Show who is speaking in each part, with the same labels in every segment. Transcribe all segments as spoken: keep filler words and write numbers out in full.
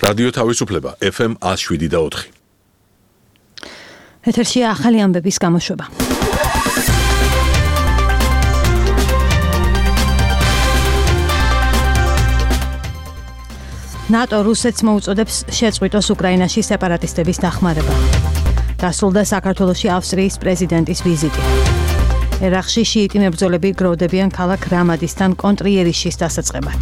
Speaker 1: რადიო თავისუფლება ეფ ემ one oh seven და four.
Speaker 2: ეთერში ახალი ამბების გამოშვება. ნატო რუსეთს მოუწოდებს შეწყვიტოს უკრაინაში სეპარატისტების დახმარება. დასრულდა საქართველოში ავსტრიის პრეზიდენტის ვიზიტი. ერაყში შიიტი მებრძოლები გროვდებიან ქალაქ რამადისთან კონტრიერიშის დასაწყებად.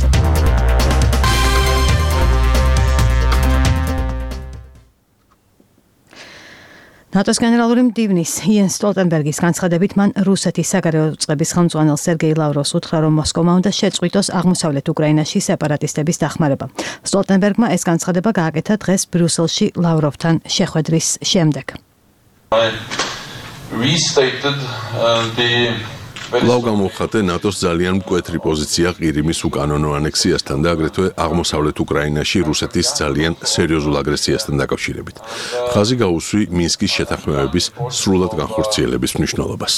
Speaker 2: ნატოს გენერალური მდივნის იენს სტოლტენბერგის განცხადებით მან რუსეთის საგარეო წყების ხელმძღვანელ სერგეი ლავროვს უთხრა, რომ მოსკოვმა უნდა შეწყვიტოს აღმოსავლეთ უკრაინაში სეპარატისტების დახმარება. სტოლტენბერგმა ეს განცხადება გააკეთა დღეს ბრიუსელში ლავროვთან შეხვედრის შემდეგ.
Speaker 1: კვლავ გამოხატე ნატოს ძალიან მკვეთრი პოზიცია ყირიმის უკანონო ანექსიასთან და აგრეთვე აღმოსავლეთ უკრაინაში რუსეთის ძალიან სერიოზულ აგრესიასთან დაკავშირებით. ხაზი გაუსვი მინსკის შეთანხმებების სრულად განხორციელების მნიშვნელობას.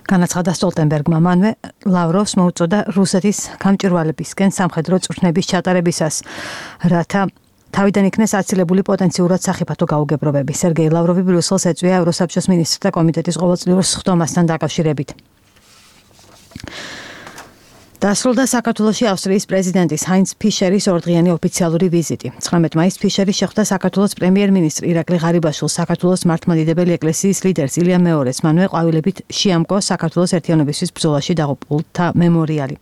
Speaker 2: განაცხადა სტოლტენბერგმა, მანვე ლავროვს მოუწოდა რუსეთის გამჭვირვალებისკენ სამხედრო წვრთნების ჩატარებისას, რათა თავიდან იქნეს აცილებული პოტენციურად სახიფათო გაუგებრობები. სერგეი ლავროვი ბრიუსელს ეწვია ევროსაბჭოს მინისტრთა კომიტეტის ყოველწლიურ სხდომასთან დაკავშირებით. დასრულდა საქართველოში ავსტრიის პრეზიდენტის ჰაინც ფიშერის ორდღიანი ოფიციალური ვიზიტი. ცხრამეტ მაისს ფიშერი შეხვდა საქართველოს პრემიერ-მინისტრ ირაკლი ღარიბაშვილს, საქართველოს მართლმადიდებელი ეკლესიის ლიდერს ილია მეორეს, მანვე ყვავილებით შეამკო საქართველოს ერთიანობისთვის ბრძოლაში დაღუპულთა მემორიალი.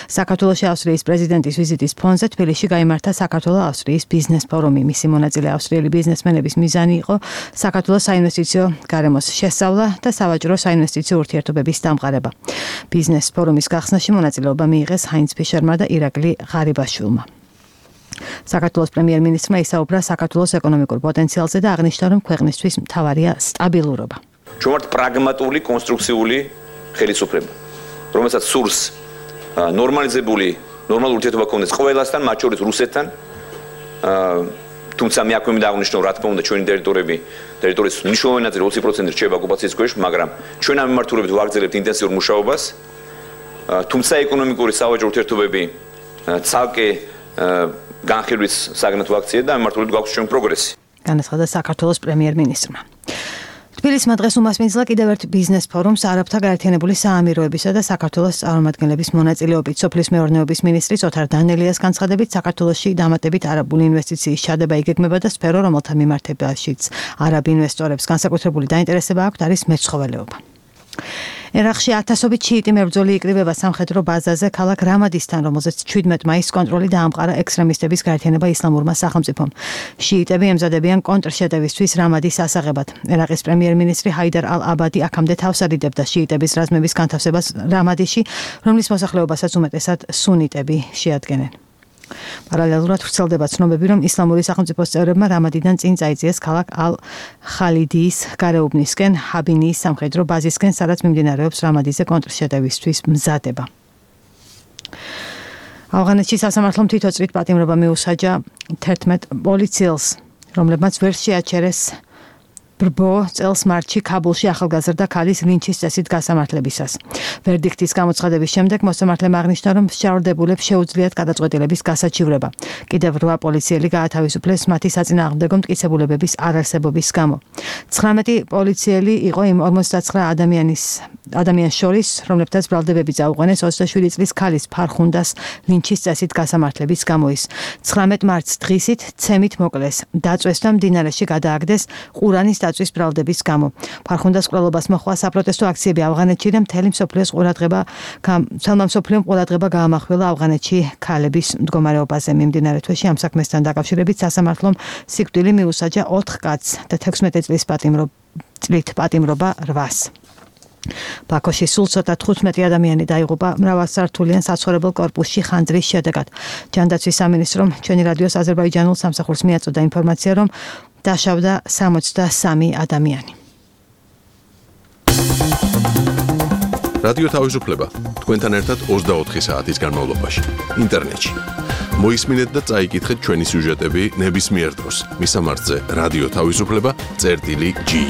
Speaker 2: საქართველოში ავსტრიის პრეზიდენტის ვიზიტის ფონზე თბილისში გაიმართა საქართველო-ავსტრიის ბიზნეს ფორუმი. მისი მონაწილე ავსტრიელი ბიზნესმენების მიზანი იყო საქართველოს საინვესტიციო გარემოს შესწავლა და სავაჭრო საინვესტიციო ურთიერთობების დამყარება. ბიზნეს ფორუმის გახსნაში მონაწილეობა მიიღეს ჰაინც ფიშერმა და ირაკლი ღარიბაშვილმა. საქართველოს პრემიერ-მინისტრმა ისაუბრა საქართველოს ეკონომიკურ პოტენციალზე და აღნიშნა, რომ ქვეყნისთვის მთავარია სტაბილურობა.
Speaker 3: ჩვენ ვართ პრაგმატული, კონსტრუქციული ხელისუფლება, რომელსაც სურს ნორმალიზებული, ნორმალური ურთიერთობა გქონდეს ყველასთან, მათ შორის რუსეთთან. თუმცა მე აქვე მინდა აღნიშნო, რა თქმა უნდა, ჩვენი ტერიტორიები, ტერიტორიის მნიშვნელოვანი ნაწილი ოცი პროცენტი რჩება ოკუპაციის ქვეშ, მაგრამ ჩვენ ამ მიმართულებით ვაგრძელებთ ინტენსიურ მუშაობას. თუმცა ეკონომიკური სავაჭრო ურთიერთობები ცალკე განხილვის საგნად ვაქციე და ამ მიმართულებით გვაქვს ჩვენ პროგრესი.
Speaker 2: განაცხადა საქართველოს პრემიერ-მინისტრმა. თბილისმა დღეს უმასპინძლა კიდევ ერთ ბიზნეს ფორუმს არაბთა გაერთიანებული საამიროებისა და საქართველოს წარმომადგენლების მონაწილეობით. სოფლის მეურნეობის მინისტრის ოთარ დანელიას განცხადებით, საქართველოში დამატებით არაბული ინვესტიციის ჩადება იგეგმება და სფერო, რომელთა მიმართებაშიც არაბ ინვესტორებს განსაკუთრებული დაინტერესება აქვთ, არის მეცხოველეობა. ერაყში ათასობით შიიტი მებრძოლი იკრიბება სამხედრო ბაზაზე ქალაქ რამადისთან, რომელზეც შვიდმეტ მაისს კონტროლი დაამყარა ექსტრემისტების გაერთიანება ისლამურმა სახელმწიფომ. შიიტები ემზადებიან კონტრშეტევისთვის რამადის ასაღებად. ერაყის პრემიერ-მინისტრი ჰაიდარ ალ-აბადი აქამდე თავს ადიდებდა შიიტების რაზმების განთავსებას რამადიში, რომლის მოსახლეობასაც უმეტესად სუნიტები შეადგენენ. პარალელურად ვრცელდება ცნობები, რომ ისლამური სახელმწიფოს წევრებმა რამადიდან წინ წაიწიეს ქალაქ ალ-ხალიდიის გარეუბნისკენ, ჰაბინიის სამხედრო ბაზისკენ, სადაც მიმდინარეობს რამადიზე კონტრშეტევისთვის მზადება. ავღანეთში სასამართლომ თვითოწრით პატიმრობა მიუსაჯა თერთმეტ პოლიციელს, რომლებმაც ვერ შეაჩერეს ბრბო წელს მარტში ქაბულში ახალგაზრდა ქალის ლინჩის წესით გასამართლებისას. ვერდიქტის გამოცხადების შემდეგ მოსამართლემ აღნიშნა, რომ შეურდებულებს შეუძლიათ გადაწყვეტილების გასაჩივრება. კიდევ რვა პოლიციელი გაათავისუფლეს მათი საწინააღმდეგო მტკიცებულებების არარსებობის გამო. ცხრამეტი პოლიციელი იყო იმ ორმოცდაცხრა ადამიანის ადამიანს შორის, რომლებთაც ბრალდებები წაუყენეს ოცდაშვიდი წლის ქალის ფარხუნდას ლინჩის წესით გასამართლების გამო. ის ცხრამეტ მარტს დღისით ცემით მოკლეს, დაწვეს და მდინარეში გადააგდეს ყურანის დაწვის ბრალდების გამო. ფარხუნდას მკვლელობას მოჰყვა საპროტესტო აქციები ავღანეთში და მთელი მსოფლიოს ყურადღება თელმა მსოფლიომ ყურადღება გაამახვილა ავღანეთში ქალების მდგომარეობაზე. მიმდინარე თვეში ამ საქმესთან დაკავშირებით სასამართლომ სიკვდილი მიუსაჯა ოთხ კაცს და თექვსმეტი წლის პატიმრობით პატიმრობა რვას. ბაქოში სულ ცოტა თხუთმეტი ადამიანი დაიღუპა მრავალსართულიან საცხოვრებელ კორპუსში ხანძრის შედეგად. ჯანდაცვის სამინისტრომ ჩვენი რადიოს აზერბაიჯანულ სამსახურს მიაწოდა ინფორმაცია, რომ დაშავდა სამოცდასამი ადამიანი.
Speaker 1: რადიო თავისუფლება თქვენთან ერთად ოცდაოთხი საათის განმავლობაში ინტერნეტში. მოისმინეთ და წაიკითხეთ ჩვენი სიუჟეტები ნებისმიერ დროს. მისამართზე რადიო თავისუფლება წერტილი ჯი.